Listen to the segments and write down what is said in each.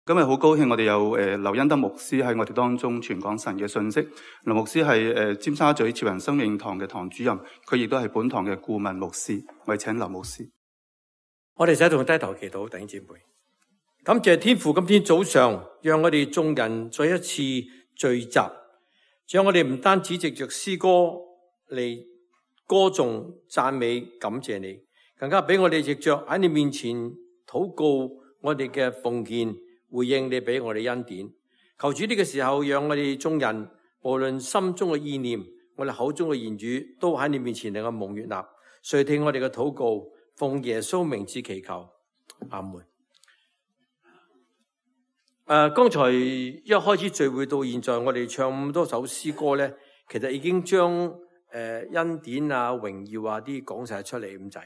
今日好高興我哋有劉恩德牧師喺我哋當中傳講神嘅信息。劉牧師係尖沙咀潮人生命堂嘅堂主任，佢亦都係本堂嘅顧問牧師。我哋請劉牧師。我哋一同低頭祈禱，弟兄姊妹，感謝天父，今天早上讓我哋眾人再一次聚集，讓我哋唔單止藉着詩歌嚟歌頌讚美感謝你，更加俾我哋藉着喺你面前禱告我哋嘅奉獻，回應你俾我哋恩典。求主呢個時候讓我哋眾人無論心中嘅意念，我哋口中嘅言語，都喺你面前能夠蒙悅納。垂聽我哋嘅禱告，奉耶穌名字祈求，阿門。剛才一開始聚會到現在，我哋唱咁多首詩歌咧，其實已經將恩典啊、榮耀啊啲講晒出嚟咁滯。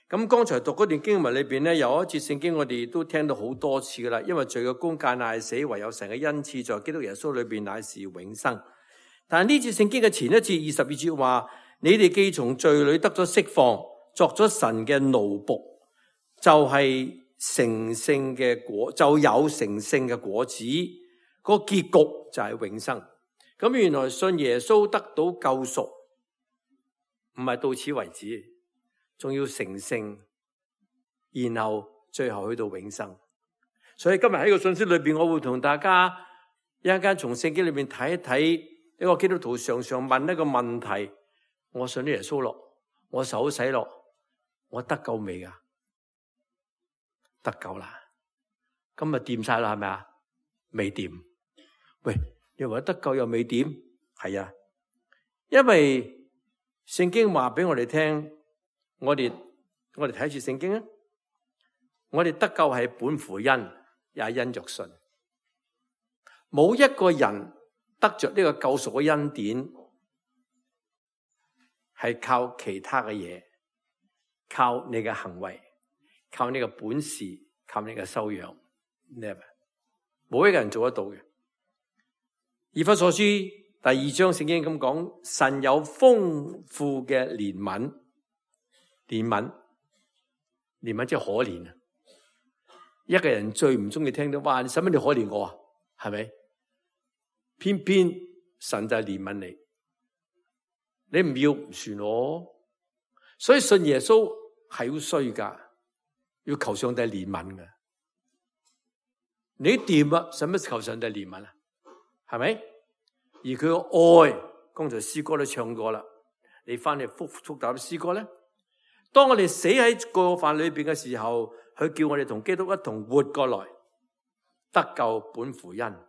咁剛才讀嗰段經文裏邊咧，有一節聖經我哋都聽到好多次噶啦，因為罪嘅工價乃死，唯有神嘅恩賜在基督耶穌裏邊乃是永生。但係呢節聖經嘅前一節22節話，你哋既從罪裏得咗釋放，作咗神嘅奴僕，就係成聖嘅果，就有成聖嘅果子，個結局就係永生。咁原來信耶穌得到救贖，唔係到此為止，仲要成聖，然後最後去到永生。所以今日喺個信息裏邊，我會同大家一陣間從聖經裏邊睇一睇一個基督徒常常問一個問題：我信咗耶穌咯，我受洗咯，我得救未噶？得救啦，今日掂晒啦，係咪啊？未掂。喂，你話得救又未掂？係啊，因為聖經話俾我哋聽，我哋睇住聖經啊，我哋得救係本乎恩，也因着信。冇一個人得着呢個救贖嘅恩典，係靠其他嘅嘢，靠你嘅行為，靠你嘅本事，靠你嘅修養 ，never， 冇一個人做得到嘅。以弗所書第2章聖經咁講，神有豐富嘅憐憫即係可憐啊！一個人最唔中意聽到，哇！你使乜你可憐我啊？係咪？偏偏神就係憐憫你，你唔要唔算我，所以信耶穌係要衰噶。要求上帝憐憫嘅，你掂啊，使乜求上帝憐憫啊？係咪？而佢嘅愛，剛才詩歌都唱過啦。你翻嚟復答詩歌咧，當我哋死喺過犯裏邊嘅時候，佢叫我哋同基督一同活過來，得救本乎恩。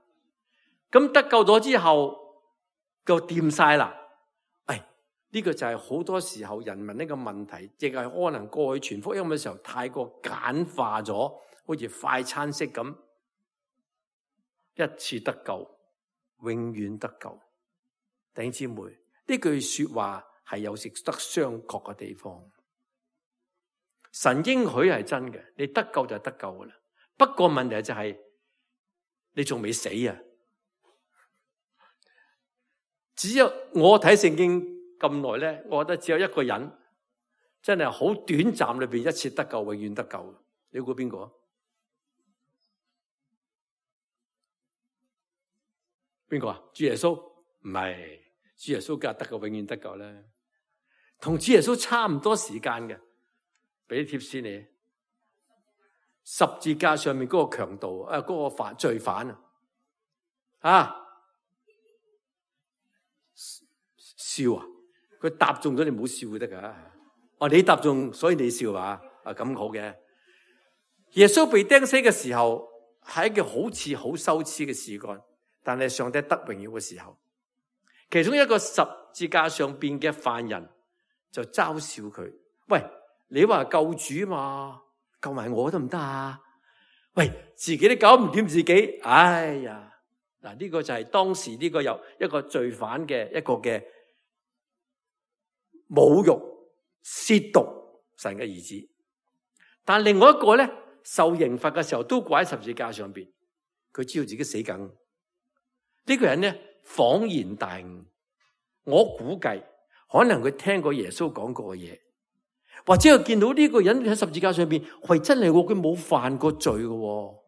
咁得救咗之後，就掂晒啦。呢個就係好多時候人民呢個問題，亦係可能過去傳福音嘅時候太過簡化咗，好似快餐式咁，一次得救，永遠得救。弟兄姊妹，呢句說話係有值得商榷嘅地方。神應許係真嘅，你得救就係得救噶啦。不過問題就係你仲未死啊！只有我睇聖經咁耐咧，我覺得只有一個人真係好短暫裏邊一次得救，永遠得救。你估邊個？邊個啊？主耶穌？唔係，主耶穌梗係得救，永遠得救啦。同主耶穌差唔多時間嘅，俾啲貼士你。十字架上面嗰個強盜嗰個罪犯啊，笑啊！佢答中咗，你唔好笑得噶。你答中，所以你笑啊？咁好嘅。耶穌被釘死嘅時候，係一件好似好羞恥嘅事幹，但係上帝得榮耀嘅時候，其中一個十字架上邊嘅犯人就嘲笑佢：喂，你話救主嘛，救埋我得唔得啊？喂，自己都搞唔掂自己，哎呀！嗱，呢個就係當時呢個有一個罪犯嘅一個嘅侮辱、褻瀆神嘅兒子。但另外一個咧，受刑罰嘅時候都掛喺十字架上邊，佢知道自己死梗。呢個人咧恍然大悟，我估計可能佢聽過耶穌講過嘅嘢，或者佢見到呢個人喺十字架上邊，喂，真係佢冇犯過罪嘅，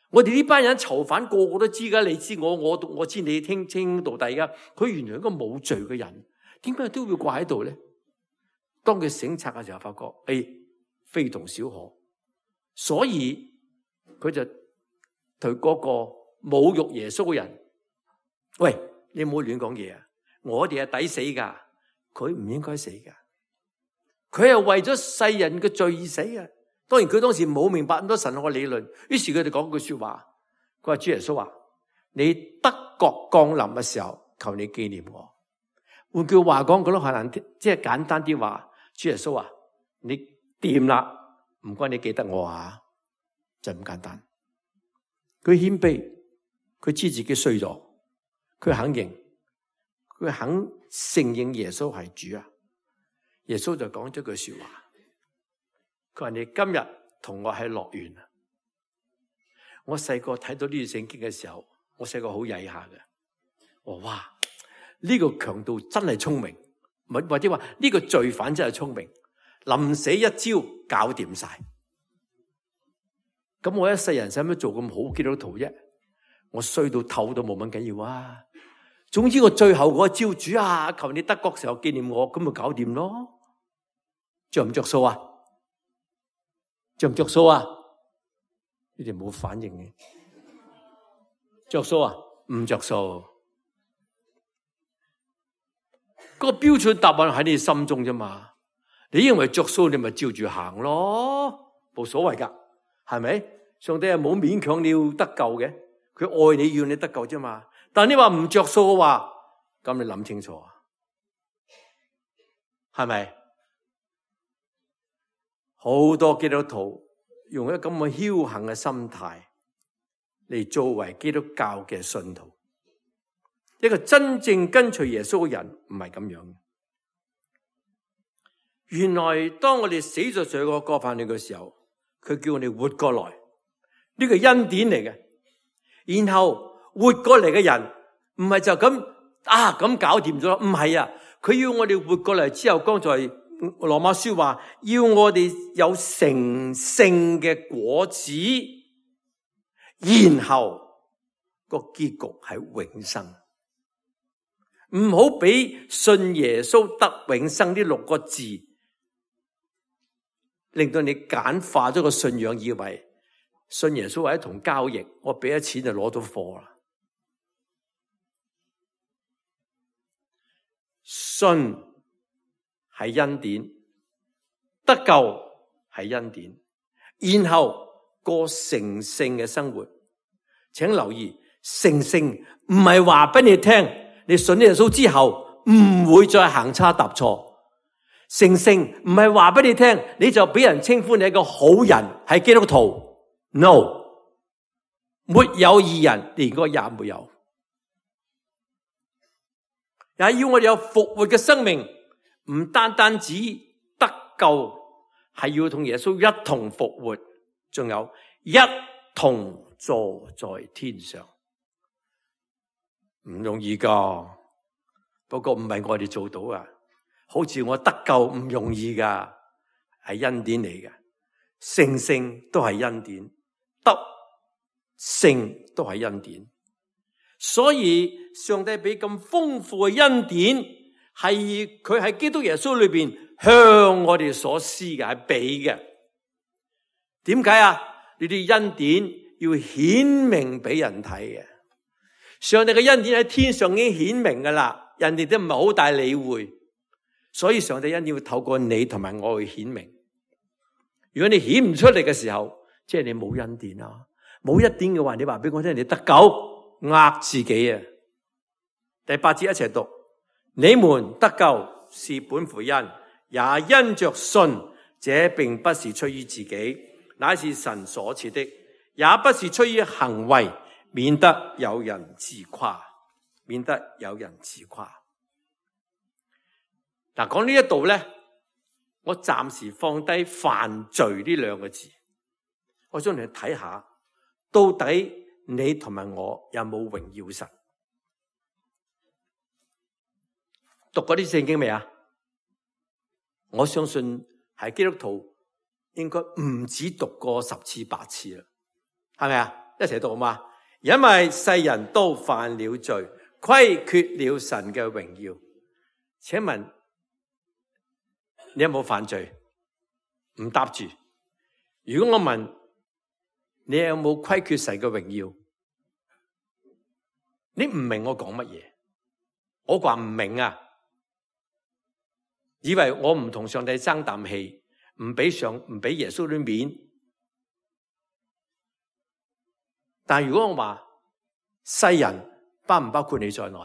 我哋呢班人囚犯個個都知噶，你知我知你聽清到底噶。佢原來一個冇罪嘅人，點解都會掛喺度咧？當佢省察嘅時候，發覺非同小可，所以佢就對嗰個侮辱耶穌嘅人，喂，你唔好亂講嘢啊！我哋係抵死噶，佢唔應該死噶，佢係為咗世人嘅罪而死啊！當然佢當時冇明白咁多神學嘅理論，於是佢哋講句說話，佢話主耶穌話：你得國降臨嘅時候，求你紀念我。換句話講，佢都可能即係簡單啲話，主耶穌話：你掂啦，唔該你記得我啊，就咁簡單。佢謙卑，佢知自己衰咗，佢肯認，佢肯承認耶穌係主啊。耶穌就講咗句說話。佢話你今日同我喺樂園啊！我細個睇到呢段聖經嘅時候，我細個好曳下嘅。我話哇，呢個強盜真係聰明，或者話呢個罪犯真係聰明，臨死一招搞掂晒。咁我一世人使乜做咁好基督徒啫？我衰到透都冇乜緊要啊！總之我最後嗰招，主啊，求你得國時候紀念我，咁咪搞掂咯？着唔着數啊？着唔着數啊？你哋冇反應嘅，着數啊？唔着數。嗰個標準答案喺你心中啫嘛。你認為着數，你咪照住行咯，冇所謂噶，係咪？上帝係冇勉強你要得救嘅，佢愛你要你得救啫嘛。但你話唔着數嘅話，咁你諗清楚啊，係咪？好多基督徒用一個咁嘅僥倖嘅心態嚟作為基督教嘅信徒，一個真正跟隨耶穌嘅人唔係咁樣。原來當我哋死咗罪過過犯嘅時候，佢叫我哋活過來，呢個恩典嚟嘅。然後活過嚟嘅人唔係就咁咁搞掂咗，唔係啊，佢要我哋活過嚟之後，剛才羅馬書話要我哋有成聖嘅果子，然後個結局係永生。唔好俾信耶穌得永生呢6個字令到你簡化咗個信仰，以為信耶穌係一同交易，我俾咗錢就攞到貨啦。信係恩典，得救係恩典，然後過成聖嘅生活。請留意，成聖唔係話俾你聽，你信耶穌之後唔會再行差踏錯。成聖唔係話俾你聽，你就俾人稱呼你係個好人，係基督徒。No， 沒有義人，連個也沒有。也要我哋有復活嘅生命。唔單單止得救，係要同耶穌一同復活，仲有一同坐在天上，唔容易噶。不過唔係我哋做到啊，好似我得救唔容易噶，係恩典嚟嘅。成聖都係恩典，得聖都係恩典。所以上帝俾咁豐富嘅恩典，係佢喺基督耶穌裏邊向我哋所施嘅，係俾嘅。點解啊？呢啲恩典要顯明俾人睇嘅。上帝嘅恩典喺天上已經顯明噶啦，人哋都唔係好大理會。所以上帝恩典要透過你同埋我去顯明。如果你顯唔出嚟嘅時候，即係你冇恩典啦。冇恩典嘅話，你話俾我聽，你得救，呃自己啊。第8節一齊讀。你們得救是本乎恩，也因着信。這並不是出於自己，乃是神所賜的，也不是出於行為，免得有人自誇。免得有人自誇。嗱，講呢一度咧，我暫時放低犯罪呢2個字，我想你去睇下，到底你同埋我有冇榮耀神？讀過啲聖經未啊？我相信係基督徒應該唔止讀過10次8次啦，係咪啊？一齊讀好嘛？因為世人都犯了罪，虧缺了神嘅榮耀。請問你有冇犯罪？唔答住。如果我問你有冇虧缺神嘅榮耀，你唔明我講乜嘢？我話唔明啊，以為我唔同上帝爭啖氣，唔俾耶穌啲面。但如果我話世人包唔包括你在內？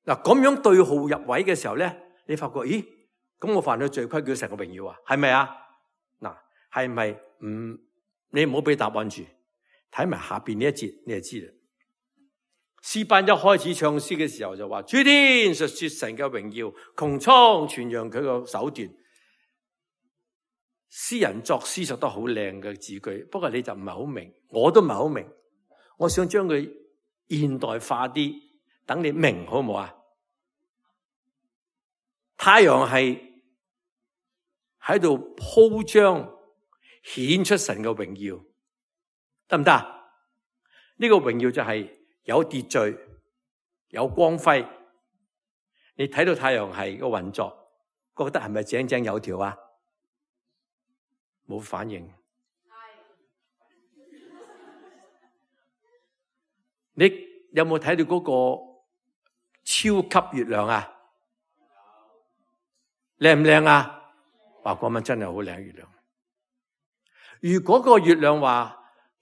嗱，咁樣對號入位嘅時候咧，你發覺咦，咁我犯咗罪，虧缺神嘅榮耀啊？係咪啊？嗱，係咪唔？你唔好俾答案住，睇埋下邊呢一節，你就知啦。詩班一開始唱詩嘅時候就話：諸天述說神嘅榮耀，穹蒼傳揚佢個手段。詩人作詩作得好靚嘅字句，不過你就唔係好明，我都唔係好明。我想將佢現代化啲，等你明好唔好啊？太陽係喺度鋪張，顯出神嘅榮耀，得唔得？呢個榮耀就係有秩序、有光輝。你睇到太陽系個運作，覺得係咪井井有條啊？冇反應。你有冇睇到嗰個超級月亮啊？靚唔靚啊？話嗰晚真係好靚月亮。如果個月亮話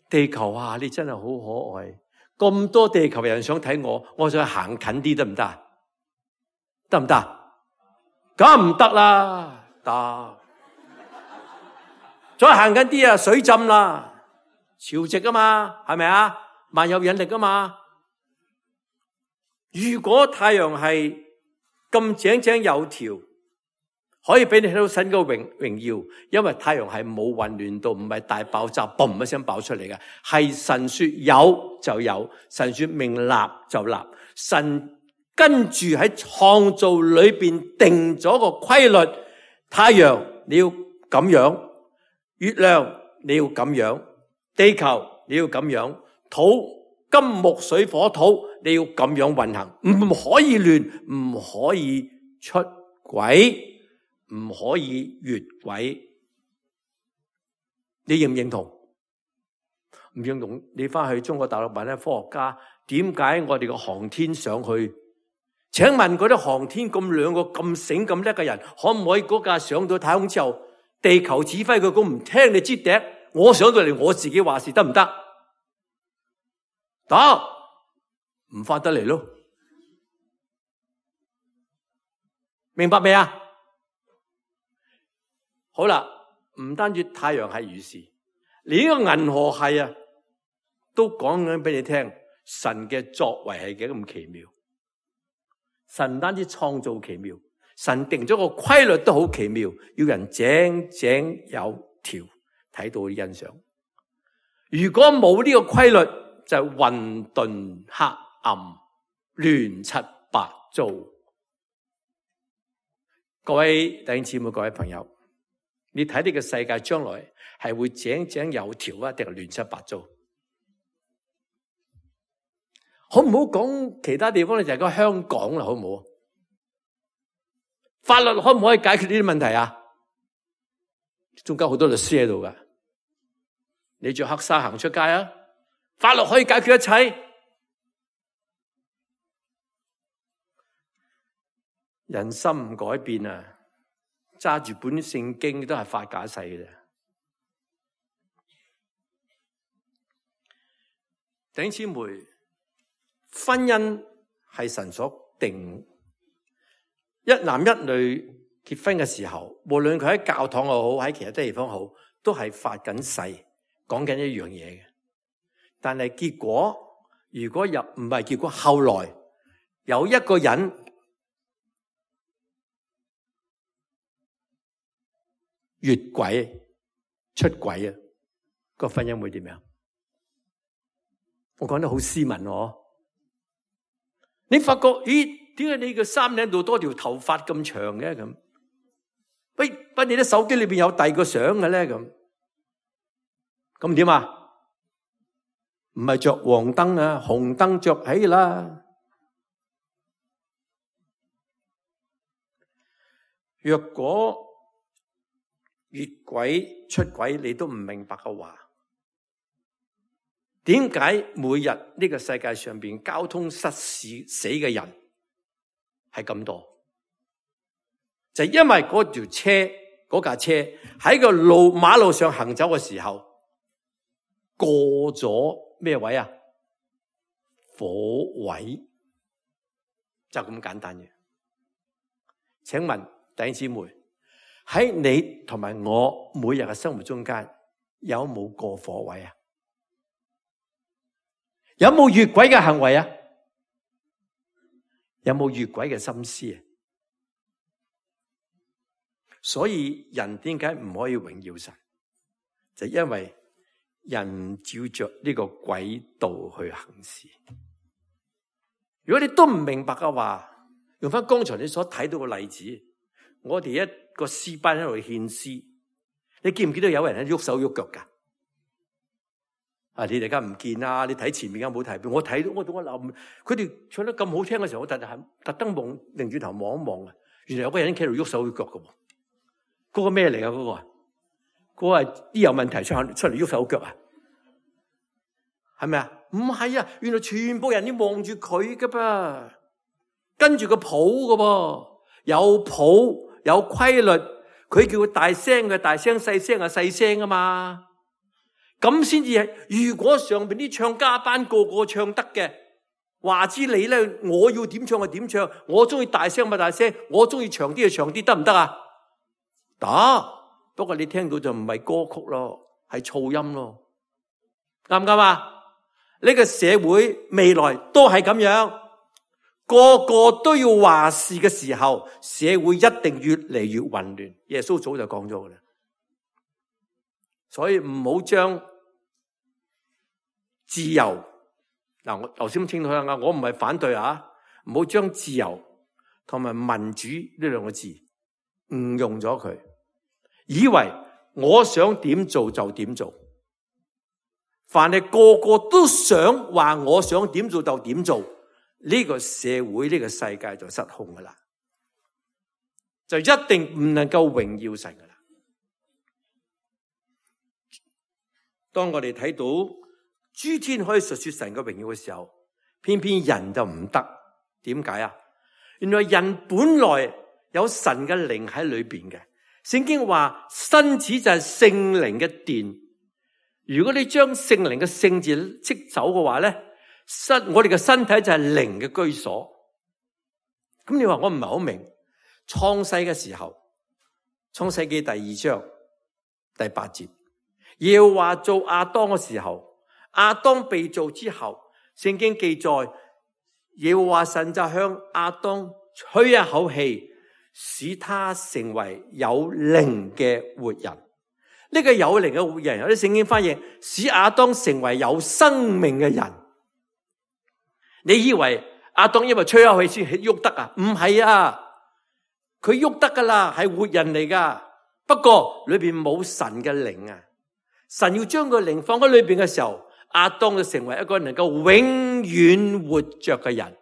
地球啊，你真係好可愛，咁多地球人想睇我，我想行近啲得唔得？得唔得？梗唔得啦，得。再行近啲啊，水浸啦，潮汐啊嘛，係咪啊？萬有引力啊嘛。如果太陽係咁井井有條，可以俾你睇到神嘅榮耀，因為太陽係冇混亂到，唔係大爆炸，嘣一聲爆出嚟嘅，係神說有就有，神說命立就立，神跟住喺創造裏邊定咗個規律，太陽你要咁樣，月亮你要咁樣，地球你要咁樣，土金木水火土你要咁樣運行，唔可以亂，唔可以出軌，唔可以越軌。你認唔認同？唔認同，你翻去中國大陸問咧，科學家點解我哋個航天上去？請問嗰啲航天咁兩個咁醒咁叻嘅人，可唔可以嗰架上到太空之後，地球指揮佢咁唔聽你支笛，我上到嚟我自己話事得唔得？得，唔翻得嚟咯。明白未啊？好啦，唔單止太陽系如是，連呢個銀河系啊，都講緊俾你聽，神嘅作為係幾咁奇妙。神唔單止創造奇妙，神定咗個規律都好奇妙，要人井井有條，睇到欣賞。如果冇呢個規律，就係混沌黑暗、亂七八糟。各位弟兄姊妹、各位朋友，你睇呢個世界將來係會井井有條啊，定係亂七八糟？好唔好講其他地方咧？就係講香港啦，好唔好？法律可唔可以解決呢啲問題啊？中間好多律師喺度噶，你着黑紗行出街啊？法律可以解決一切。人心唔改變啊，揸住本聖經都係發假誓嘅啫。弟兄姊妹，婚姻係神所定，一男一女結婚嘅時候，無論佢喺教堂又好，喺其他地方好，都係發緊誓，講緊一樣嘢嘅。但係結果，如果又唔係結果，後來有一個人越軌出軌啊，個婚姻會點樣？我講得好斯文喎。你發覺，咦？點解你個衫領度多條頭髮咁長嘅咁？喂，你啲手機裏邊有第二個相嘅咧咁？咁點啊？唔係着黃燈啊，紅燈着起啦。若果越軌出軌你都唔明白嘅話，點解每日呢個世界上邊交通失事死嘅人係咁多？就係因為嗰架車喺個馬路上行走嘅時候過咗咩位啊？火位，就咁簡單嘅。請問弟兄姊妹，喺你同埋我每日嘅生活中間有冇過火位啊？有冇越軌嘅行為啊？有冇越軌嘅心思啊？所以人點解唔可以榮耀神？就因為人照着呢個軌道去行事。如果你都唔明白嘅話，用翻剛才你所睇到嘅例子，我哋一個詩班喺度獻詩，你見唔見到有人喺喐手喐腳噶？啊！你哋而家唔見啊！你睇前面嘅冇睇，我睇到我諗，佢哋唱得咁好聽嘅時候，我特登望，擰轉頭望一望啊！原來有個人企度喐手喐腳嘅，嗰個咩嚟啊？嗰個係啲有問題出嚟喐手腳啊？係咪啊？唔係啊！原來全部人都望住佢㗎噃，跟住個譜㗎噃，有譜有規律，佢叫佢大聲嘅大聲，細聲嘅細聲啊嘛。咁先至係。如果上邊啲唱家班個個唱得嘅，話知你咧，我要點唱就點唱，我中意大聲咪大聲，我中意長啲就長啲，得唔得啊？得，不過你聽到就唔係歌曲咯，係噪音咯，啱唔啱啊？呢個社會未來都係咁樣，個個都要話事嘅時候，社會一定越嚟越混亂。耶穌早就講咗噶啦，所以唔好將自由嗱，我頭先清楚啦，我唔係反對啊，唔好將自由同埋民主呢兩個字誤用咗佢，以為我想點做就點做，凡係個個都想話我想點做就點做，呢個社會呢個世界就失控噶啦，就一定唔能夠榮耀神噶啦。當我哋睇到諸天可以述說神嘅榮耀嘅時候，偏偏人就唔得。點解啊？原來人本來有神嘅靈喺裏邊嘅。聖經話身子就係聖靈嘅殿。如果你將聖靈嘅聖字剔走嘅話咧，我哋嘅身體就係靈嘅居所。咁你話我唔係好明，創世嘅時候，創世記第2章第8節，耶和華造亞當嘅時候，亞當被造之後，聖經記載耶和華神就向亞當吹一口氣，使他成為有靈嘅活人。呢個有靈嘅活人，有啲聖經翻譯使亞當成為有生命嘅人。你以為亞當因為吹一口氣先喐得啊？唔係啊，佢喐得噶啦，係活人嚟噶。不過裏邊冇神嘅靈啊，神要將個靈放喺裏邊嘅時候，亞當就成為一個能夠永遠活着嘅人。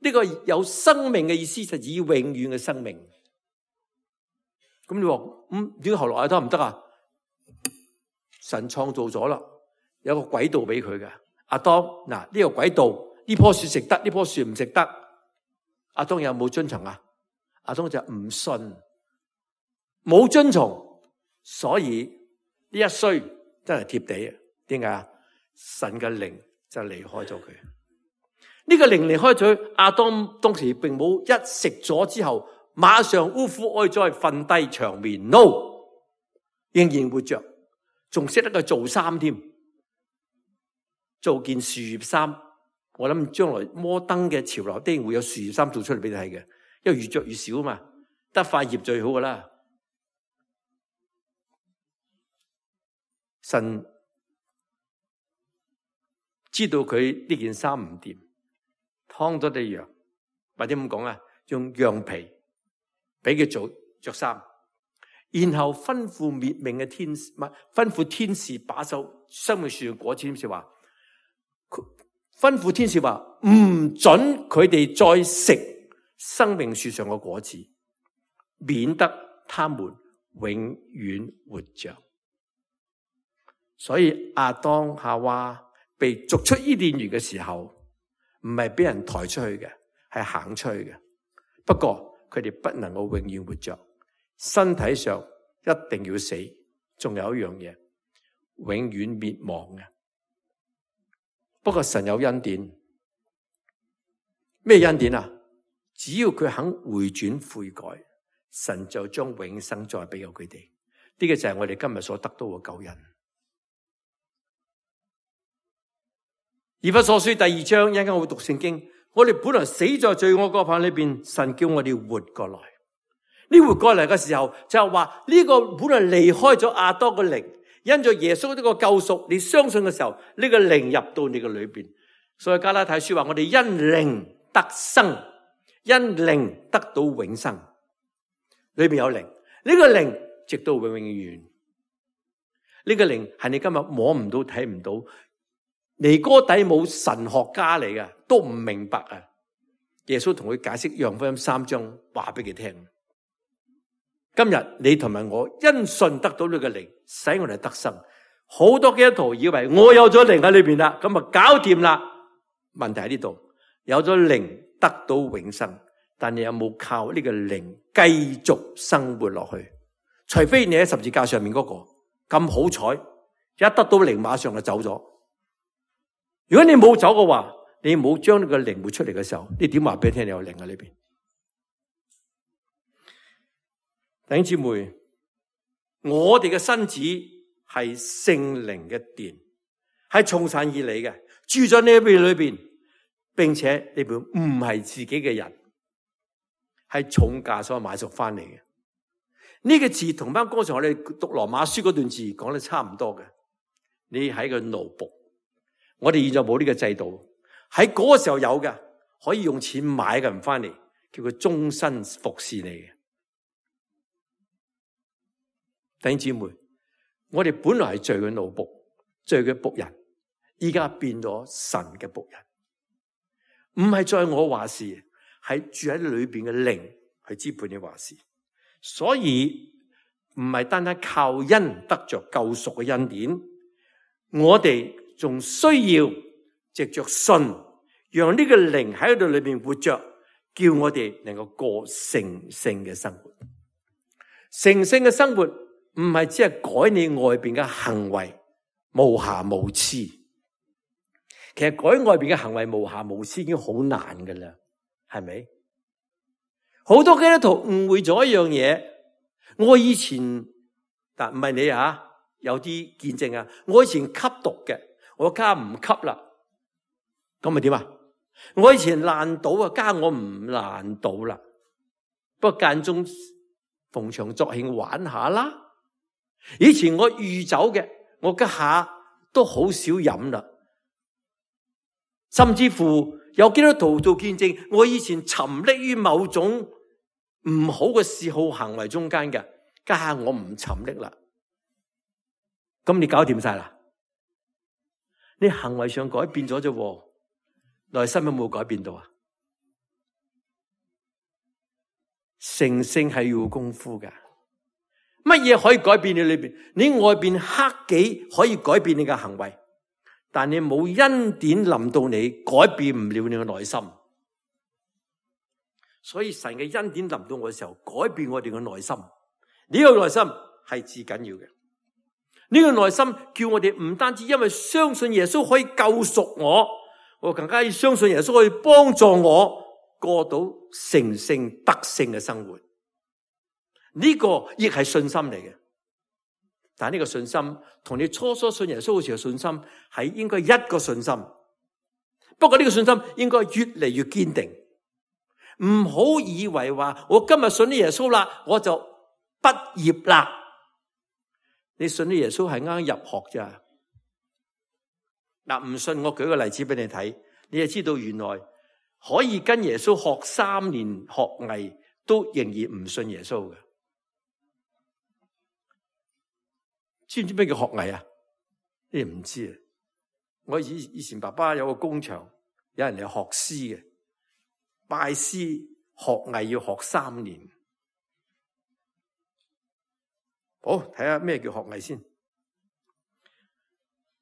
呢個有生命嘅意思就係以永遠嘅生命。咁你話點解後來亞當唔得啊？神創造咗啦，有個軌道俾佢嘅。亞當嗱，呢個軌道，呢棵樹食得，呢棵樹唔食得。亞當有冇遵從啊？亞當就唔信，冇遵從，所以呢一衰真係貼地啊！點解啊？神嘅靈就離開咗佢。呢個靈離開咗亞當，當時並冇一食咗之後馬上嗚呼哀哉瞓低長眠 ，no， 仍然活着，仲識得佢做衫添，做件樹葉衫。我諗將來摩登嘅潮流一定會有樹葉衫做出嚟俾你睇嘅，因為越着越少啊嘛，得塊葉最好噶啦。神知道佢呢件衫唔掂，劏咗隻羊，或者咁講啊，用羊皮俾佢做着衫。然後吩咐滅命嘅天使，吩咐天使把守生命樹嘅果子。天使話，吩咐天使話唔准佢哋再食生命樹上嘅果子，免得他們永遠活着。所以亞當夏娃被逐出伊甸園嘅時候，唔係俾人抬出去嘅，係行出去嘅。不過佢哋不能夠永遠活着，身體上一定要死。仲有一樣嘢，永遠滅亡嘅。不過神有恩典，咩恩典啊？只要佢肯回轉悔改，神就將永生再俾咗佢哋。呢個就係我哋今日所得到嘅救恩。以弗所書第2章，一陣間我會讀聖經。我哋本來死在罪惡過犯裏邊，神叫我哋活過來。呢活過嚟嘅時候，就係話呢個本來離開咗亞當嘅靈，因着耶穌呢個救贖，你相信嘅時候，呢個靈入到你嘅裏邊。所以加拉太書話，我哋因靈得生，因靈得到永生。裏邊有靈，呢個靈直到永永遠遠。呢個靈係你今日摸唔到、睇唔到。尼哥底母神學家嚟嘅，都唔明白啊！耶穌同佢解釋約翰福音3章，話俾佢聽。今日你同埋我因信得到呢個靈，使我哋得生。好多基督徒以為我有咗靈喺裏邊啦，咁啊搞掂啦。問題喺呢度，有咗靈得到永生，但你有冇靠呢個靈繼續生活落去？除非你喺十字架上面嗰個咁好彩，一得到靈馬上就走咗。如果你冇走嘅話，你冇將呢個靈活出嚟嘅時候，你點話俾你聽你有靈喺裏邊？弟兄姊妹，我哋嘅身子係聖靈嘅殿，係從神而嚟嘅，住在呢邊裏邊，並且呢邊唔係自己嘅人，係重價所買贖翻嚟嘅。呢個字同翻剛才我哋讀羅馬書嗰段字講得差唔多嘅。你係個奴僕。我哋現在冇呢個制度，喺嗰個時候有嘅，可以用錢買嘅人翻嚟，叫佢終身服侍你嘅。弟兄姊妹，我哋本來係罪嘅奴僕，罪嘅僕人，依家變咗神嘅僕人，唔係再我話事，係住喺裏邊嘅靈去支配你話事。所以唔係單單靠恩得着救贖嘅恩典，我哋仲需要藉着信，讓呢個靈喺度裏邊活着，叫我哋能夠過成聖嘅生活。成聖嘅生活唔係只係改你外邊嘅行為無瑕無疵，其實改外邊嘅行為無瑕無疵已經好難噶啦，係咪？好多基督徒誤會咗一樣嘢，我以前但唔係你啊，有啲見證啊，我以前吸毒嘅。我家唔吸啦，咁咪點啊？我以前爛賭啊，家我唔爛賭啦。不過間中逢場作興玩下啦。以前我酗酒嘅，我家下都好少飲啦。甚至乎有基督徒做見證，我以前沉溺於某種唔好嘅嗜好行為中間嘅，家下我唔沉溺啦。咁你搞掂晒啦？你行為上改變咗啫，內心有冇改變到啊？成聖係要功夫噶，乜嘢可以改變你裏邊？你外邊黑己可以改變你嘅行為，但你冇恩典臨到你，改變唔了你嘅內心。所以神嘅恩典臨到我嘅時候，改變我哋嘅內心。呢個內心係至緊要嘅。呢個內心叫我哋唔單止因為相信耶穌可以救贖我更加要相信耶穌可以幫助我過到成聖得勝嘅生活。呢個亦係信心嚟嘅，但係呢個信心同你初信耶穌嘅時候信心係應該一個信心。不過呢個信心應該越嚟越堅定，唔好以為話我今日信咗耶穌啦，我就畢業啦。你信咗耶穌係啱入學咋？嗱，唔信我舉個例子俾你睇，你就知道原來可以跟耶穌學3年學藝，都仍然唔信耶穌嘅。知唔知咩叫學藝啊？你唔知啊？我以前爸爸有個工場，有人嚟學師嘅，拜師學藝要學3年。好，睇下咩叫學藝先。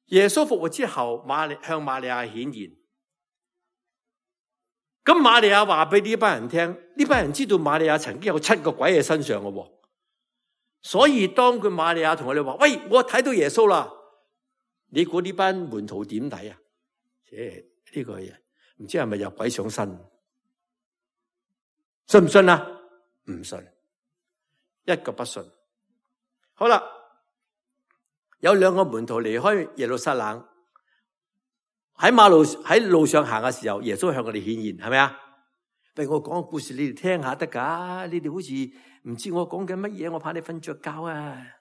耶穌復活之後，向瑪利亞顯現。咁瑪利亞話俾呢班人聽，呢班人知道瑪利亞曾經有7個鬼喺身上嘅，所以當佢瑪利亞同我哋話：喂，我睇到耶穌啦！你估呢班門徒點睇啊？呢個嘢唔知係咪有鬼上身？信唔信啊？唔信，一個不信。好啦，有2個門徒離開耶路撒冷，喺路上行嘅時候，耶穌向佢哋顯現，係咪啊？俾我講個故事你哋聽下得噶？你哋好似唔知我講緊乜嘢，我怕你瞓着覺啊！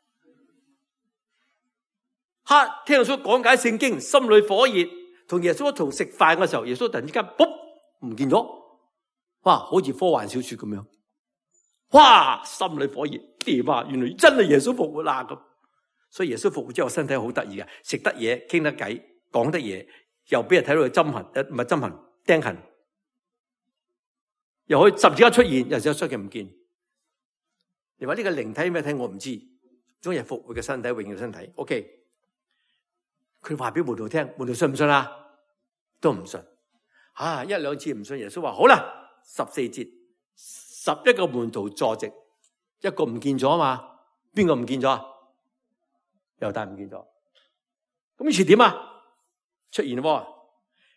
聽耶穌講解聖經，心裏火熱，同耶穌一同食飯嘅時候，耶穌突然之間，卜唔見咗，哇，好似科幻小說咁樣，哇，心裏火熱，點啊？原來真係耶穌復活啦咁，所以耶穌復活之後身體好得意嘅，食得嘢，傾得偈，講得嘢，又俾人睇到佢針痕，唔係針痕，釘痕，又可以十字架出現，又出現唔見。你話呢個靈體咩體？我唔知，終日復活嘅身體，榮耀身體。OK。佢話俾門徒聽，門徒信唔信啊？都唔信。1、2次唔信，耶穌話好啦，14節，11個門徒坐席，一個唔見咗嘛？邊個唔見咗啊？猶大唔見咗。咁於是點啊？出現喎，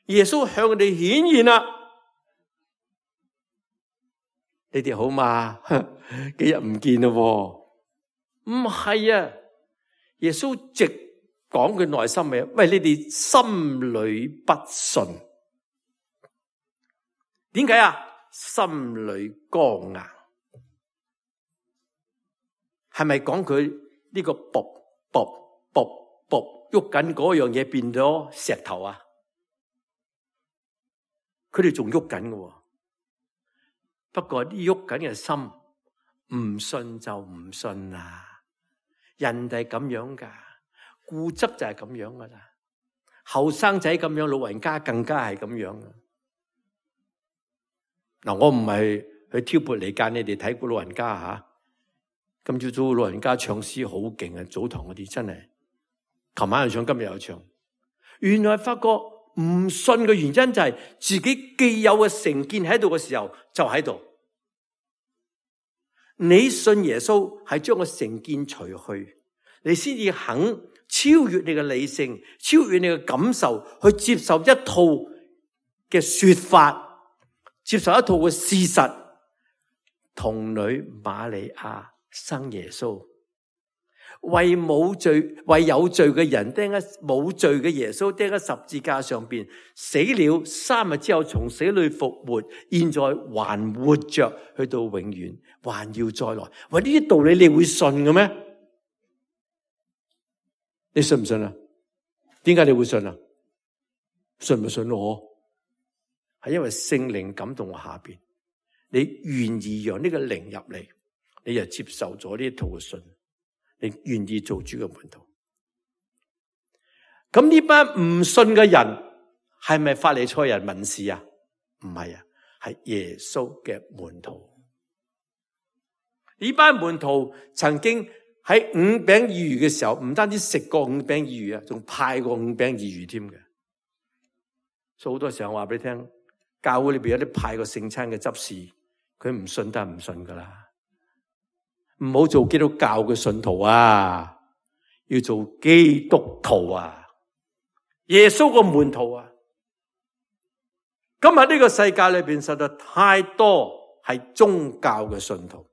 耶穌向佢哋顯現啦。你哋好嘛？幾日唔見咯？唔係啊，耶穌直講佢內心嘅，喂，你哋心裏不信，點解啊？心裏剛硬，係咪講佢呢個卜喐緊嗰樣嘢變咗石頭啊？佢哋仲喐緊嘅，不過啲喐緊嘅心唔信就唔信啦，人哋咁樣噶。固執就係咁樣噶啦，後生仔咁樣，老人家更加係咁樣噶。嗱，我唔係去挑撥離間你哋睇過老人家吓。今朝早老人家唱詩好勁啊，早堂嗰啲真係，琴晚又唱，今日又唱。原來發覺唔信嘅原因就係自己既有嘅成見喺度嘅時候就喺度。你信耶穌係將個成見除去，你先至肯超越你嘅理性，超越你嘅感受，去接受一套嘅說法，接受一套嘅事實。童女瑪利亞生耶穌，為有罪嘅人釘喺冇罪嘅耶穌釘喺十字架上邊，死了3日之後從死裏復活，現在還活着，去到永遠，還要再來。喂，呢啲道理你會信嘅咩？你信唔信啊？點解你會信啊？信唔信我？係因為聖靈感動我下邊，你願意讓呢個靈入嚟，你就接受咗呢一套嘅信，你願意做主嘅門徒。咁呢班唔信嘅人係咪法利賽人文士啊？唔係啊，係耶穌嘅門徒。呢班門徒曾經喺5餅2魚嘅時候，唔單止食過5餅2魚啊，仲派過5餅2魚添嘅。所以好多時候我話俾你聽，教會裏邊有啲派過聖餐嘅執事，佢唔信都係唔信噶啦。唔好做基督教嘅信徒啊，要做基督徒啊，耶穌個門徒啊。今日呢個世界裏邊實在太多係宗教嘅信徒，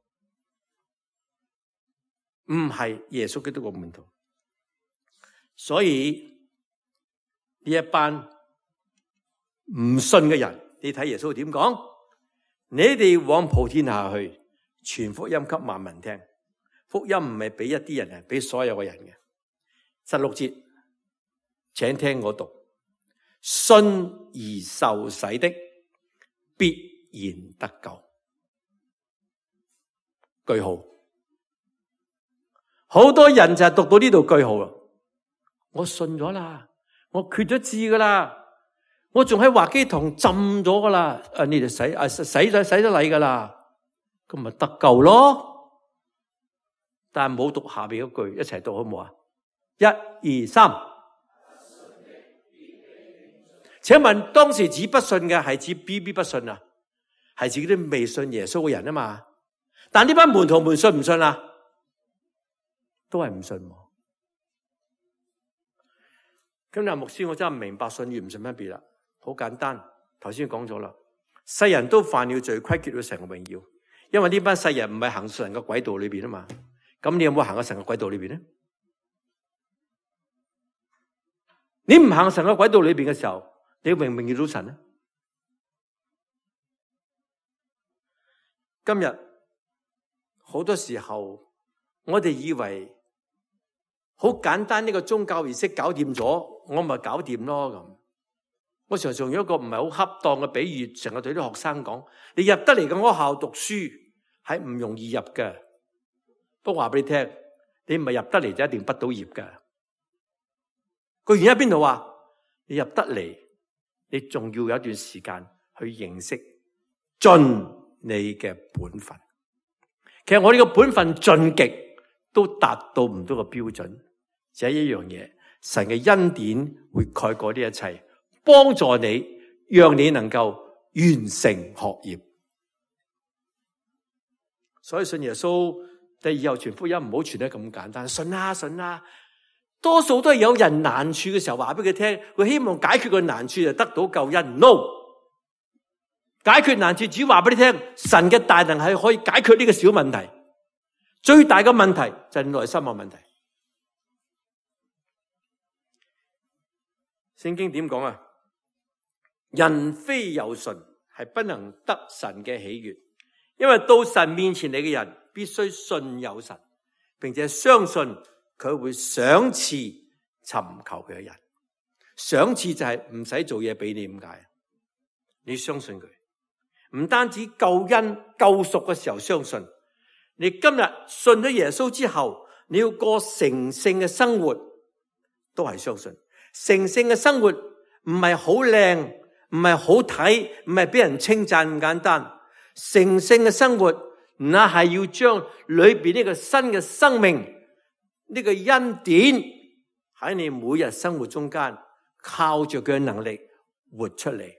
唔係耶穌基督個門徒。所以呢一班唔信嘅人，你睇耶穌點講？你哋往普天下去，傳福音給萬民聽。福音唔係俾一啲人，係俾所有嘅人嘅。16節，請聽我讀：信而受洗的，必然得救。句號。好多人就係讀到呢度句號啦，我信咗啦，我決咗志噶啦，我仲喺華基堂浸咗噶啦，你哋洗咗禮噶啦，咁咪得救咯。但係冇讀下邊嗰句，一齊讀好唔好啊？1、2、3。請問當時指不信嘅係指 BB 不信啊？係指啲未信耶穌嘅人啊嘛？但呢班門徒們信唔信啊？都係唔信。咁嗱，牧師，我真係唔明白信與唔信分別啦。好簡單，頭先講咗啦，世人都犯了罪，虧缺咗神嘅榮耀。因為呢班世人唔係行神嘅軌道裏邊啊嘛。咁你有冇行喺神嘅軌道裏邊咧？你唔行神嘅軌道裏邊嘅時候，你榮唔榮耀到神咧？今日好多時候，我哋以為好簡單呢個宗教儀式搞掂咗，我咪搞掂咯咁。我常常用一個唔係好恰當嘅比喻，成日對啲學生講：你入得嚟嘅學校讀書係唔容易入嘅。不過話俾你聽，你唔係入得嚟就一定畢到業嘅。個原因喺邊度啊？你入得嚟，你仲要有一段時間去認識盡你嘅本分。其實我哋嘅本分盡極都達到唔到個標準，只係一樣嘢，神嘅恩典會蓋過呢一切，幫助你，讓你能夠完成學業。所以信耶穌，以後傳福音唔好傳得咁簡單，信啊信啊。多數都係有人難處嘅時候話俾佢聽，佢希望解決個難處就得到救恩。No， 解決難處只話俾你聽，神嘅大能係可以解決呢個小問題。最大嘅問題就係內心嘅問題。聖經點講啊？人非有信係不能得神嘅喜悅，因為到神面前嚟嘅人必須信有神，並且相信佢會賞賜尋求佢嘅人。賞賜就係唔使做嘢俾你，點解？你相信佢，唔單止救恩救贖嘅時候相信，你今日信咗耶穌之後，你要過成聖嘅生活，都係相信。成聖嘅生活唔係好靚，唔係好睇，唔係俾人稱讚咁簡單。成聖嘅生活，那係要將裏邊呢個新嘅生命，呢個恩典喺你每日生活中間，靠着佢嘅能力活出嚟。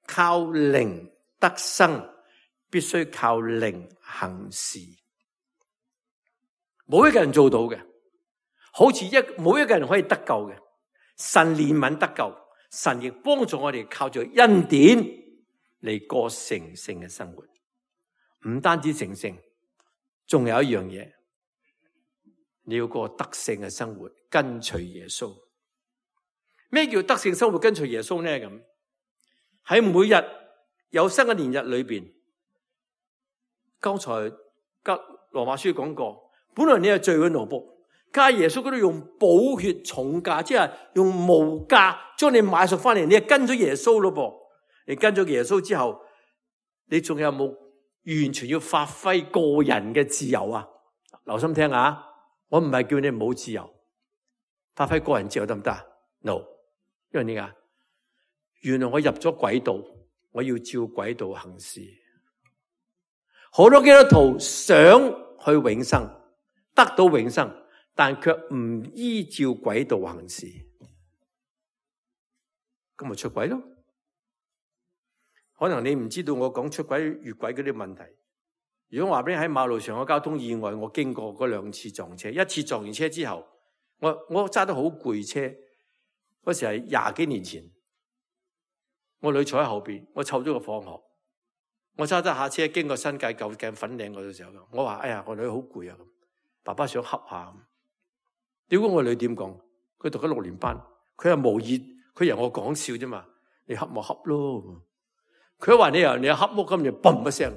靠靈得生，必須靠靈行事。冇一個人做到嘅，好似冇一個人可以得救嘅。神憐憫得救，神亦幫助我哋靠住恩典嚟過成聖嘅生活。唔單止成聖，仲有一樣嘢，你要過得勝嘅生活，跟隨耶穌。咩叫得勝生活跟隨耶穌呢？咁喺每日有生嘅年日裏邊，剛才羅馬書講過，本來你係罪嘅奴僕，加耶穌嗰度用寶血重價，即係用無價將你買贖翻嚟，你係跟咗耶穌咯噃。你跟咗耶穌之後，你仲有冇完全要發揮個人嘅自由啊？留心聽下，我唔係叫你冇自由，發揮個人自由得唔得？No， 因為點解？原來我入咗軌道，我要照軌道行事。好多基督徒想去永生，得到永生，但卻唔依照軌道行事，咁咪出軌咯。可能你唔知道我講出軌越軌嗰啲問題。如果我話俾你喺馬路上嘅交通意外，我經過嗰2次撞車，一次撞完車之後，我揸得好攰車，嗰時係20幾年前，我女坐喺後邊，我湊咗個放學，我揸得下車經過新界舊鏡粉嶺嗰度時候，我話：哎呀，我女好攰啊！咁，爸爸想恰下。屌，我女點講？佢讀緊6年班，佢係無意，佢由我講笑啫嘛。你恰咪恰咯。佢話你又恰屋咁，就嘣一聲，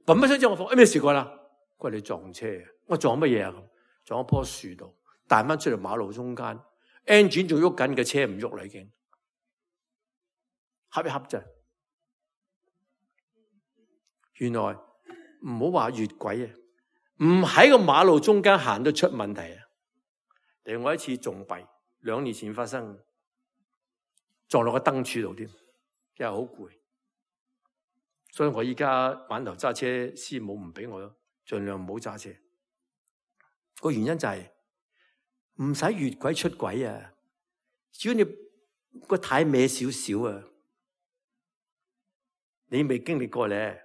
嘣一聲之後我講：咩事過啦？佢話你撞車，我撞乜嘢啊？撞一棵樹度，彈翻出嚟馬路中間 ，engine 仲喐緊嘅車唔喐啦已經，恰一恰啫。原來唔好話越軌啊，唔喺個馬路中間行都出問題啊！另外一次仲弊，2年前發生，撞落個燈柱度添，真係好攰。所以我依家玩頭揸車，師母唔俾我，盡量唔好揸車。個原因就係唔使越軌出軌啊！只要你個軚歪少少啊，你未經歷過咧，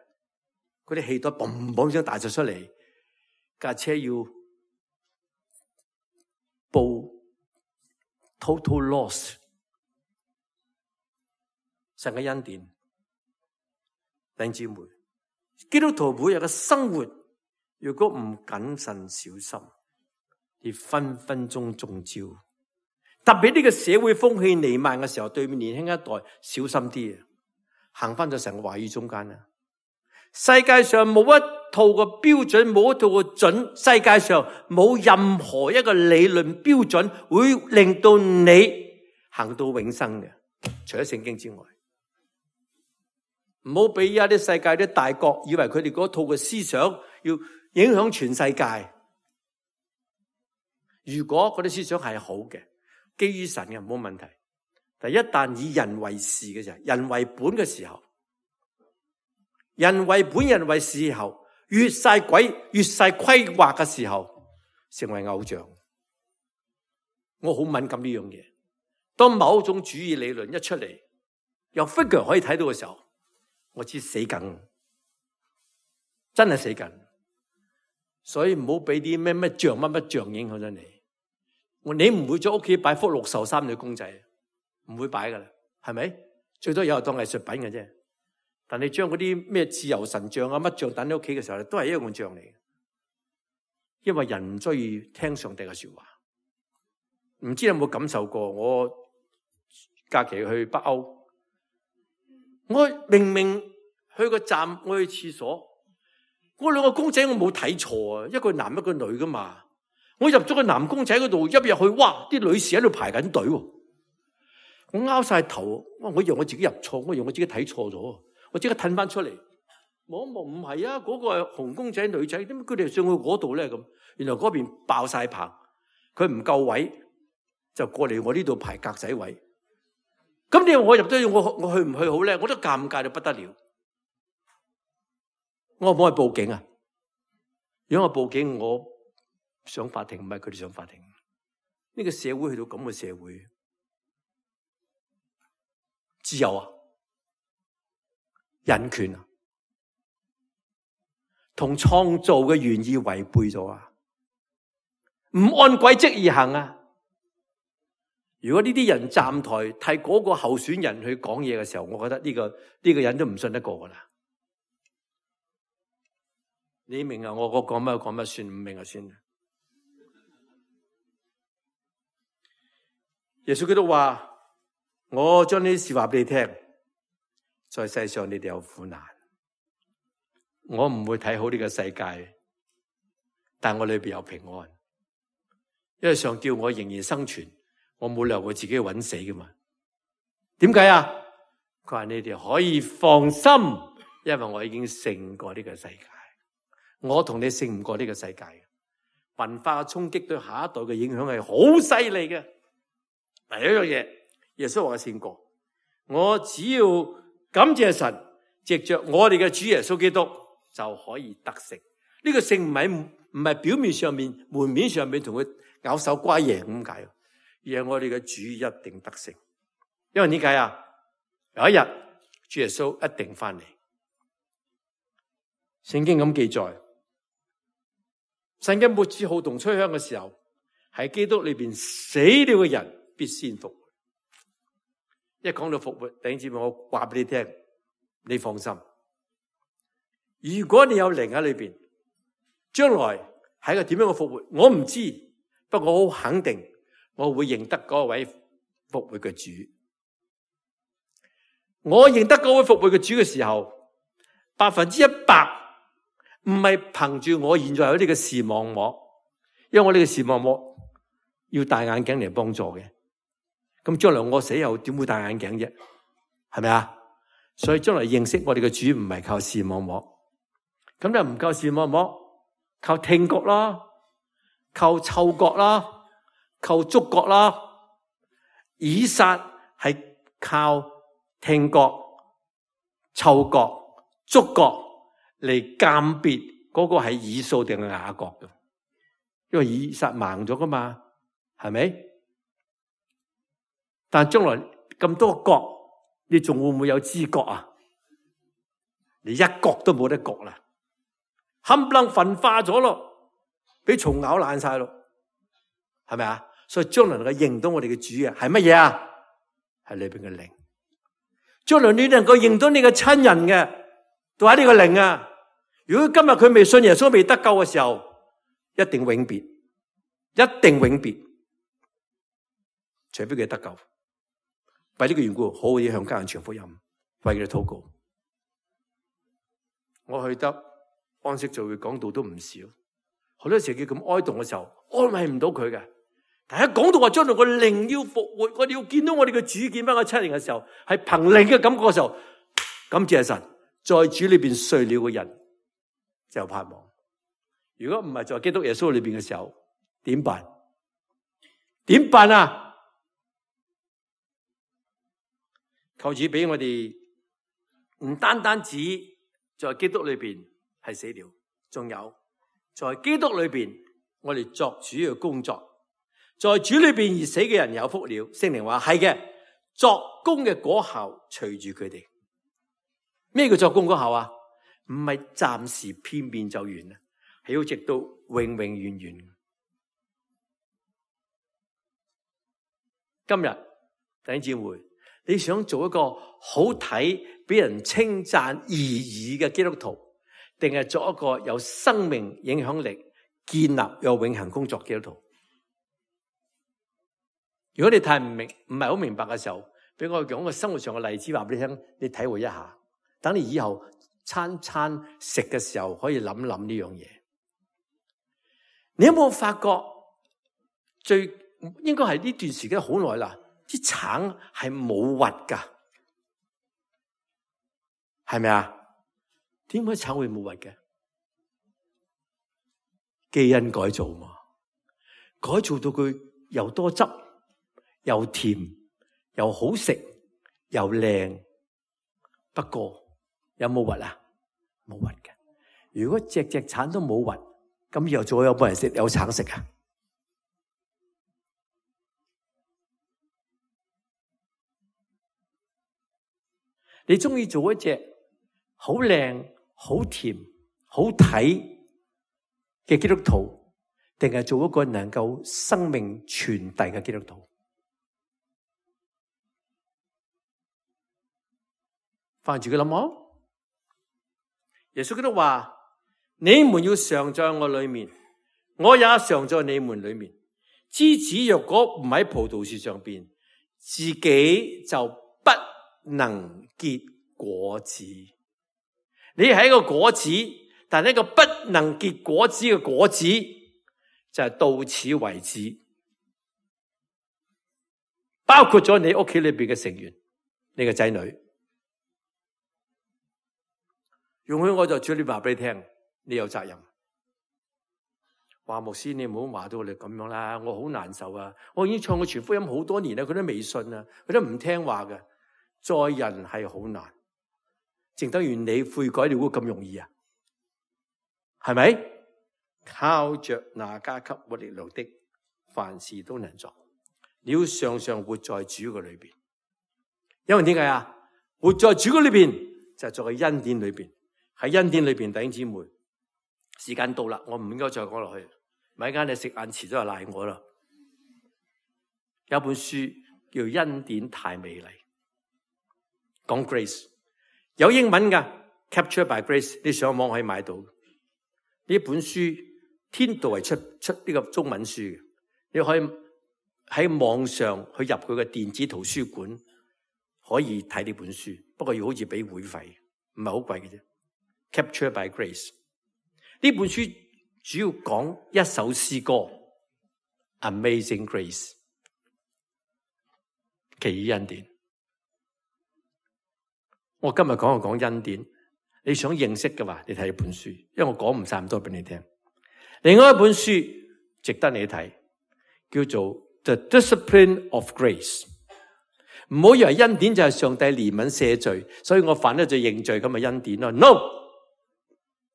嗰啲氣袋嘣嘣聲大咗出嚟，架車要報 total loss。神嘅恩典，弟兄姊妹，基督徒每日嘅生活，如果唔謹慎小心，你分分鐘中招。特別呢個社會風氣彌漫嘅時候，對面年輕一代小心啲啊！行翻咗神嘅話語中間啦。世界上冇一套嘅標準，冇一套嘅準，世界上冇任何一個理論標準會令到你行到永生嘅，除咗聖經之外。唔好俾而家啲世界啲大國以為佢哋嗰套嘅思想要影響全世界。如果嗰啲思想係好嘅，基於神嘅冇問題，但一旦以人為事嘅時候，人為本嘅時候，人為本人為事時候，越晒鬼越晒規劃嘅時候，成為偶像。我好敏感呢樣嘢。當某種主義理論一出嚟，有 figure 可以睇到嘅時候，我知死梗，真係死梗。所以唔好俾啲咩像乜像影響咗你。你唔會在屋企擺幅6壽3女公仔，唔會擺噶啦，係咪？最多有當藝術品嘅啫。但你將嗰啲咩自由神像啊乜像等喺屋企嘅時候，都係一樣像嚟嘅。因為人唔中意聽上帝嘅說話。唔知有冇感受過？我假期去北歐，我明明去個站，我去廁所，嗰2個公仔我冇睇錯啊，一個男一個女噶嘛。我入咗個男公仔嗰度，一入去，哇！啲女士喺度排緊隊，我拗晒頭，我以為我自己入錯，我以為我自己睇錯咗，我即刻褪翻出嚟，望一望，唔係啊，嗰個係紅公仔女仔，點解佢哋上去嗰度咧？咁原來嗰邊爆晒棚，佢唔夠位，就過嚟我呢度排格仔位。咁你話我入咗去，我去唔去好咧？我都尷尬到不得了。我可唔可以報警啊？如果我報警，我上法庭，唔係佢哋上法庭。呢個社會去到咁嘅社會，自由啊，人權啊，同創造嘅原意違背咗啊，唔按軌跡而行啊。如果呢啲人站台替嗰個候選人去講嘢嘅時候，我覺得呢個人都唔信得過噶啦。你明啊？我講乜算，唔明啊算。耶穌基督話：我將呢啲事話俾你聽，在世上你哋有苦難，我唔會睇好呢個世界，但我裏邊有平安，因為上叫我仍然生存，我冇理由我自己揾死噶嘛。點解啊？佢話你哋可以放心，因為我已經勝過呢個世界，我同你勝唔過呢個世界。文化嘅衝擊對下一代嘅影響係好犀利嘅。第一樣嘢，耶穌話我勝過，我只要感謝神，藉着我哋嘅主耶穌基督就可以得勝。呢個勝唔係表面上面、門面上面同佢咬手瓜贏咁解，而係我哋嘅主一定得勝。因為點解啊？有一日主耶穌一定翻嚟。聖經咁記載，神嘅末次號筒吹響嘅時候，喺基督裏邊死了嘅人必先復活。一講到復活，弟兄姊妹，我話俾你聽，你放心。如果你有靈喺裏邊，將來係一個點樣嘅復活，我唔知，不過我好肯定，我會認得嗰位復活嘅主。我認得嗰位復活嘅主嘅時候，100%唔係憑住我現在有呢個視網膜，因為我呢個視網膜要戴眼鏡嚟幫助嘅。咁將來我死後點會戴眼鏡啫？係咪啊？所以將來認識我哋嘅主唔係靠視網膜。咁就唔靠視網膜，靠聽覺啦，靠嗅覺啦，靠觸覺啦。以撒係靠聽覺、嗅覺、觸覺嚟鑑別嗰個係以掃定係雅各嘅，因為以撒盲咗噶嘛，係咪？但將來咁多個角，你仲會唔會有知覺啊？你一角都冇得覺啦，冚唪唥焚化咗咯，俾蟲咬爛晒咯，係咪啊？所以將來能夠認到我哋嘅主啊，係乜嘢啊？係裏邊嘅靈。將來你能夠認到你嘅親人嘅，都喺呢個靈啊。如果今日佢未信耶穌、未得救嘅時候，一定永別，一定永別，除非佢得救。為呢個緣故，好好地向家人傳福音，為佢哋禱告。我去得安息聚會講道都唔少，好多時佢咁哀慟嘅時候，安慰唔到佢嘅。但係一講到話將來個靈要復活，我哋要見到我哋嘅主，見翻個親人嘅時候，係憑靈嘅感覺嘅時候，感謝神，在主裏邊睡了嘅人就有盼望。如果唔係在基督耶穌裏邊嘅時候，點辦？點辦啊？求主俾我哋唔單單止在基督裏邊係死了，仲有在基督裏邊我哋作主嘅工作。在主裏邊而死嘅人有福了。聖靈話係嘅，作工嘅果效隨住佢哋。咩叫作工果效啊？唔係暫時片面就完啦，係要直到永永遠遠。今日弟兄姊妹，你想做一個好睇、俾人稱讚而已嘅基督徒，定係做一個有生命影響力、建立有永恆工作嘅基督徒？如果你太唔係好明白嘅時候，俾我講個生活上嘅例子話俾你聽，你體會一下，等你以後餐餐食嘅時候可以諗諗呢樣嘢。你有冇發覺最應該係呢段時間好耐啦，啲橙係冇核噶，係咪啊？點解橙會冇核嘅？基因改造嘛，改造到佢又多汁，又甜，又好食，又靚。不過有冇核啊？冇核嘅。如果隻橙都冇核，咁以後仲有冇人食有橙食啊？你中意做一隻好靚、好甜、好睇嘅基督徒，定係做一個能夠生命傳遞嘅基督徒？翻住佢諗下，耶穌基督話：你們要常在我裏面，我也常在你們裏面。枝子若果唔喺葡萄樹上邊，自己就不能結果子。你係一個果子，但係一個不能結果子嘅果子，就係到此為止。包括咗你屋企裏邊嘅成員，你嘅仔女。容許我就主你話俾你聽，你有責任。話牧師，你唔好話到我哋咁樣啦，我好難受啊！我已經唱過傳福音好多年啦，佢都未信啊，佢都唔聽話嘅。載人係好難，正等於你悔改你會咁容易啊？係咪？靠着那加給我力量的，凡事都能做。你要常常活在主嘅裏邊，因為點解啊？活在主嘅裏邊就係在佢恩典裏邊。喺恩典裏邊，弟兄姊妹，時間到啦，我唔應該再講落去。咪間你食晏遲咗就賴我啦。有本書叫《恩典太美麗》，講 Grace， 有英文噶 ，Captured by Grace， 你上網可以買到。呢本書天道係出呢個中文書嘅，你可以喺網上去入佢嘅電子圖書館，可以睇呢本書，不過要好似俾會費，唔係好貴嘅啫。Captured by Grace 呢本書主要講一首詩歌 Amazing Grace 奇異恩典。我今日講恩典，你想認識嘅話，你睇呢本書，因為我講唔晒咁多俾你聽。另外一本書值得你睇，叫做 The Discipline of Grace。唔好以為恩典就係上帝憐憫赦罪，所以我犯咗罪認罪咁嘅恩典咯。No，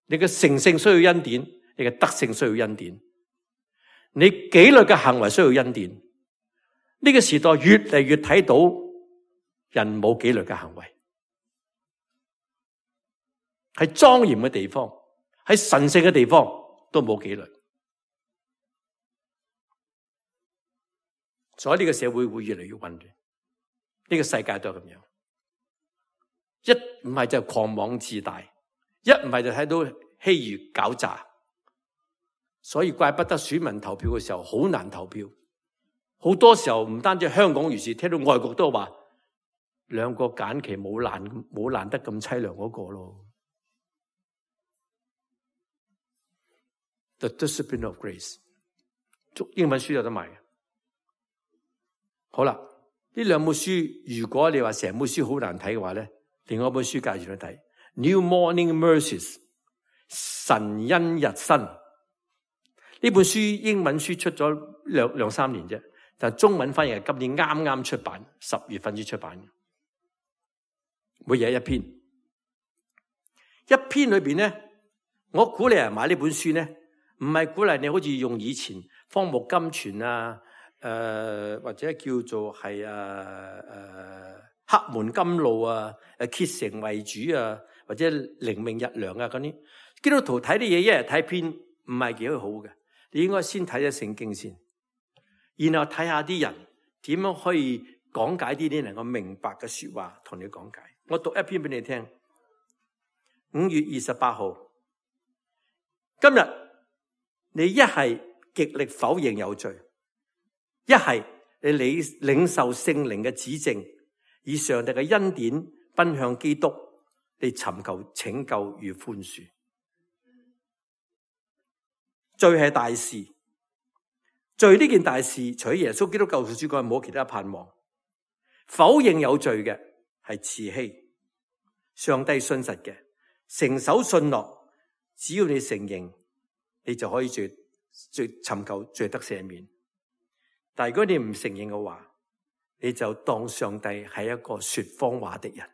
你嘅成聖需要恩典，你嘅德性需要恩典，你紀律嘅行為需要恩典。呢個時代越嚟越睇到人冇紀律嘅行為，喺莊嚴嘅地方，喺神聖嘅地方都冇紀律，所以呢個社會會越嚟越混亂。呢個世界都係咁樣，一唔係就狂妄自大，一唔係就睇到欺愚狡詐，所以怪不得選民投票嘅時候好難投票。好多時候唔單止香港如是，聽到外國都話兩個揀期冇難得咁淒涼嗰個咯。The Discipline of Grace， 英文書有得賣嘅。好啦，呢兩本書，如果你話成本書好難睇嘅話咧，另外一本書介紹你睇 New Morning Mercies， 神恩日新。呢本書英文書出咗兩三年啫，但係中文翻譯係今年啱啱出版，10月份先出版。每日一篇，一篇裏邊咧，我鼓勵人買呢本書咧，唔係鼓勵你好似用以前荒木金泉啊，或者叫做係黑門甘露啊，竭誠為主啊，或者靈命日糧啊嗰啲，基督徒睇啲嘢一日睇篇唔係幾好嘅，你應該先睇咗聖經先，然後睇下啲人點樣可以講解啲能夠明白嘅說話，同你講解。我讀一篇俾你聽。5月28號，今日你一係極力否認有罪，一係你領受聖靈嘅指正，以上帝嘅恩典奔向基督，你尋求拯救與寬恕。罪係大事，罪呢件大事，除咗耶穌基督救贖主之外，冇其他盼望。否認有罪嘅係慈禧，上帝信實嘅，誠守信諾，只要你承認，你就可以尋求罪得赦免。但如果你唔承認嘅話，你就當上帝係一個說謊話的人。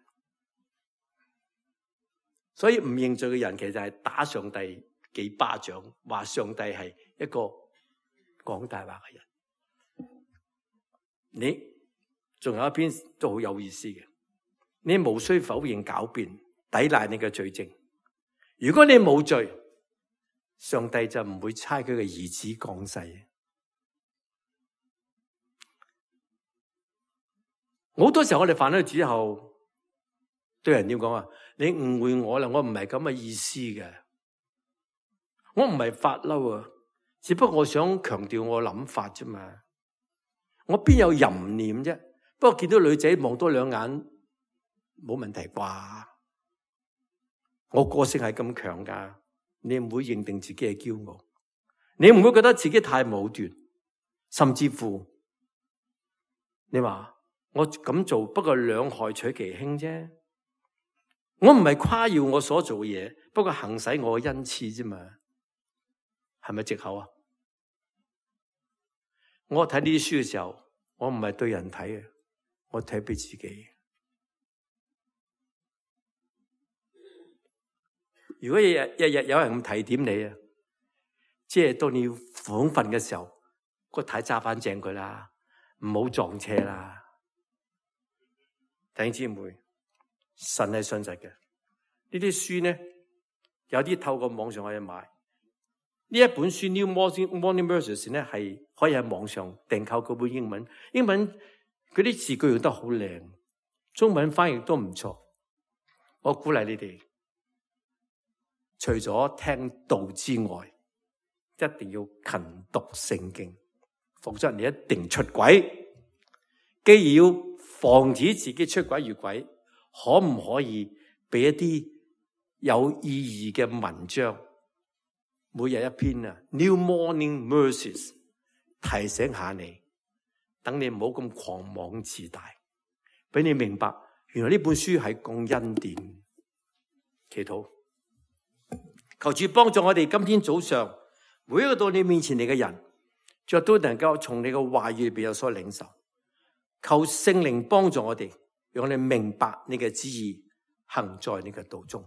所以唔認罪嘅人其實係打上帝幾巴掌，話上帝係一個講大話嘅人。你仲有一篇都好有意思嘅，你無需否認狡辯，抵賴你嘅罪證。如果你冇罪，上帝就唔會差佢嘅兒子降世。好多時候我哋犯咗罪之後，對人點講啊？你誤會我啦，我唔係咁嘅意思嘅，我唔係發嬲啊，只不過我想強調我諗法啫嘛。我邊有淫念啫？不過見到女仔望多兩眼冇問題啩？我個性係咁強噶，你唔會認定自己係驕傲，你唔會覺得自己太武斷，甚至乎你話我咁做不過兩害取其輕啫。我唔係誇耀我所做嘅嘢，不過行使我嘅恩賜啫嘛，係咪藉口啊？我睇呢啲書嘅時候，我唔係對人睇嘅，我睇俾自己。如果日日有人咁提點你啊，即係當你要訪瞓嘅時候，個太揸翻正佢啦，唔好撞車啦。弟兄姊妹，神係信實嘅。呢啲書呢，有啲透過網上可以買。呢一本書 New Morning Mercies 呢，係可以喺網上訂購嗰本英文嗰啲字句用得好靚，中文翻譯都唔錯。我鼓勵你哋，除咗聽道之外，一定要勤讀聖經，否則你一定出軌。既要防止自己出軌越軌，可唔可以俾一啲有意義嘅文章，每日一篇啊 New Morning Mercies 提醒下你，等你唔好咁狂妄自大，俾你明白原來呢本書係講恩典。祈禱，求主幫助我哋今天早上每一個到你面前嚟嘅人，主都能夠從你嘅話語裏邊有所領受。求聖靈幫助我哋，讓我哋明白你嘅旨意，行在你嘅道中。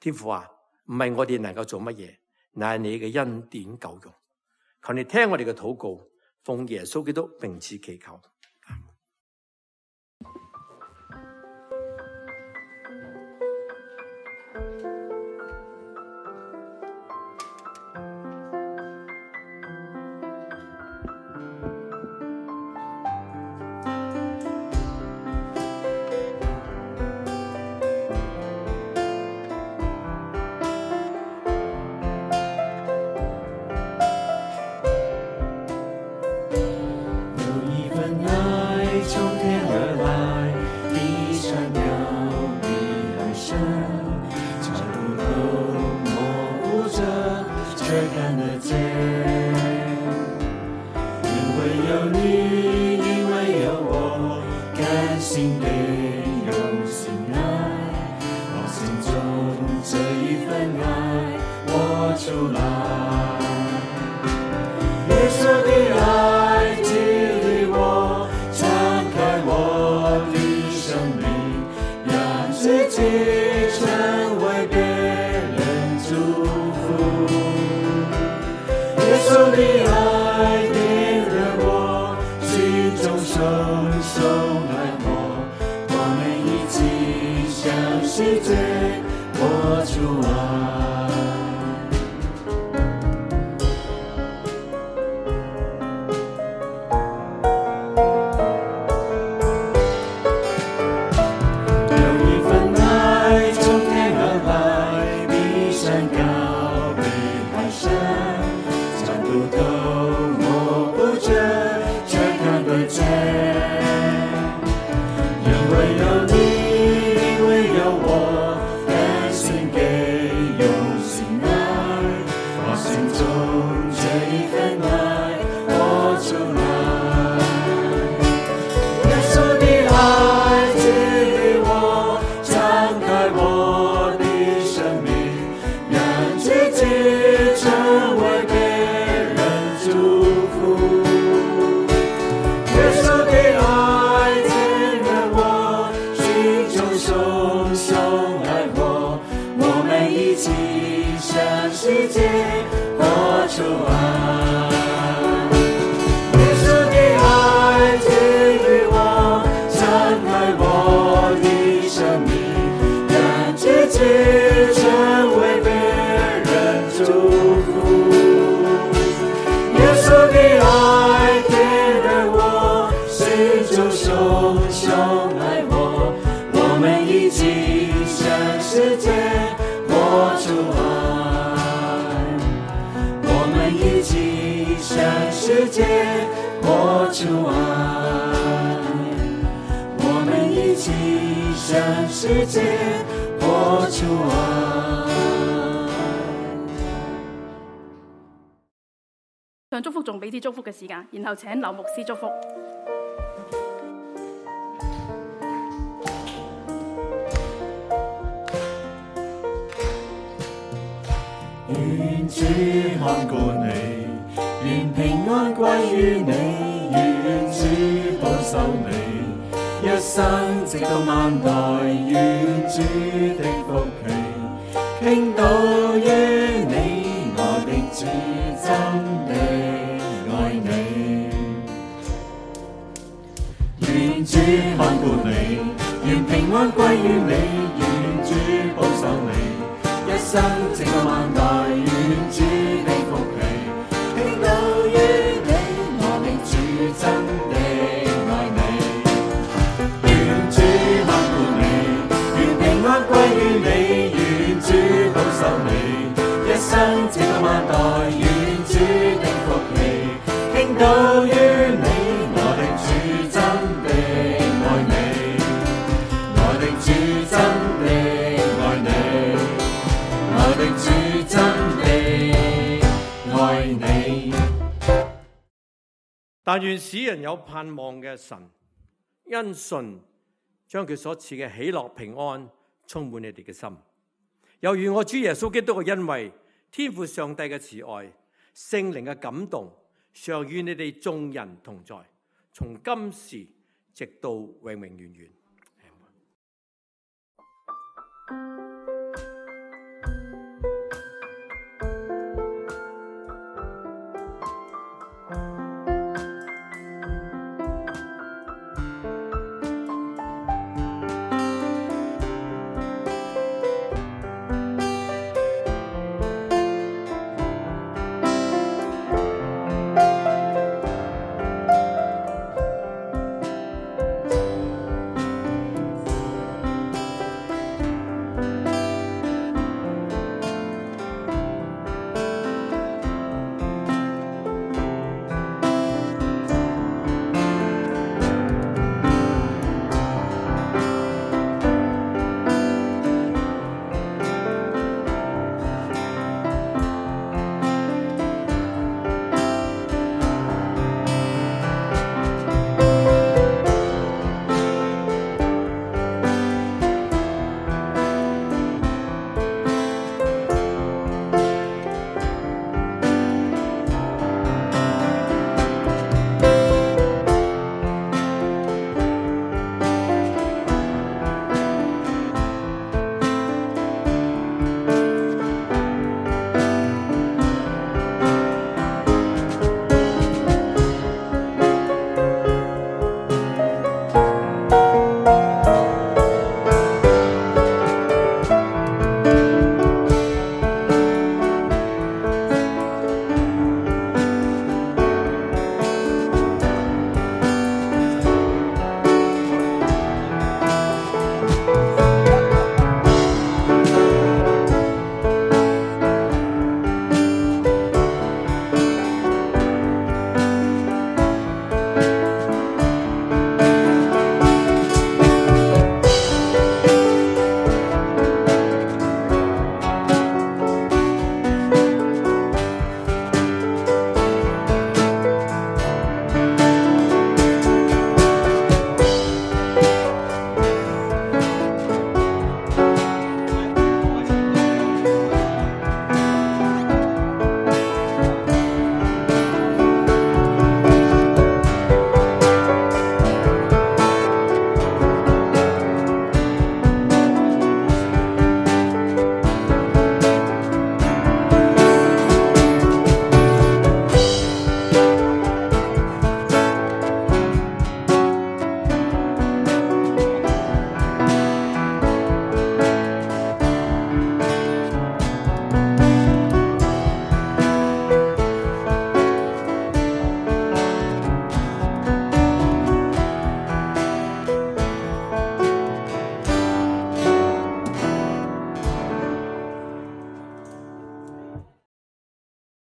天父啊，唔係我哋能夠做乜嘢，乃係你嘅恩典夠用。求你聽我哋嘅禱告，奉耶穌基督名字祈求。唱祝福仲俾啲祝福嘅時間，然後請劉牧師祝福。願主看顧你，願平安歸於你，願主保守你，一生直到萬代，願主的福氣傾倒於你，我的主真的愛你。願主看顧你，願平安歸於你，願主保守你，一生直到萬代，願主的福氣傾倒於你，我的主真的愛你。願主看顧你，願平安歸於你，願主保守你，一生直到萬代，願主的福氣傾倒於你，我的主真的愛你，我的主真的愛你，我的主真的愛你。但願使人有盼望嘅神，因信將佢所賜嘅喜樂平安充滿你哋嘅心。又如我主耶穌基督嘅恩惠，天父上帝嘅慈愛，聖靈嘅感動，常與你哋眾人同在，從今時直到永永遠遠。